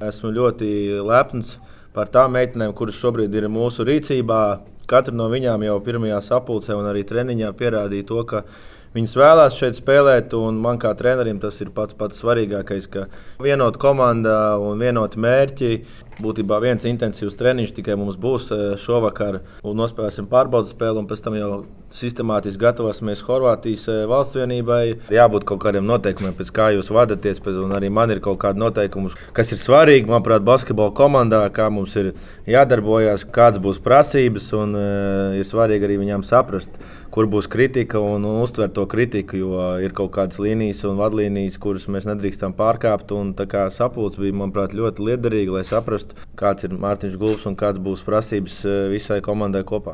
Esmu ļoti lepns par tām meitenēm, kuras šobrīd ir mūsu rīcībā. Katra no viņām jau pirmajā sapulcē un arī treniņā pierādīja to, ka viņas vēlās šeit spēlēt. Man kā trenerim tas ir pats svarīgākais, ka vienota komanda un vienoti mērķi. Būtībā viens intensīvs treniņš tikai mums būs šovakar. Nospēlēsim pārbaudas spēli un pēc tam jau sistemātiski gatavosimies Horvātijas valsts vienībai. Jābūt kaut kādiem noteikumiem, pēc kā jūs vadāties. Un arī man ir kaut kādi noteikumi, kas ir svarīgi, manuprāt, basketbola komandā, kā mums ir jādarbojas, kādas būs prasības. Ir svarīgi arī viņām saprast, kur būs kritika un uztvert to kritiku, jo ir kaut kādas līnijas un vadlīnijas, kuras mēs nedrīkstam pārkāpt. Sapulce bija, manuprāt, ļoti liederīga, lai saprastu, kāds ir Mārtiņš Gulbs un kādas būs prasības visai komandai kopā.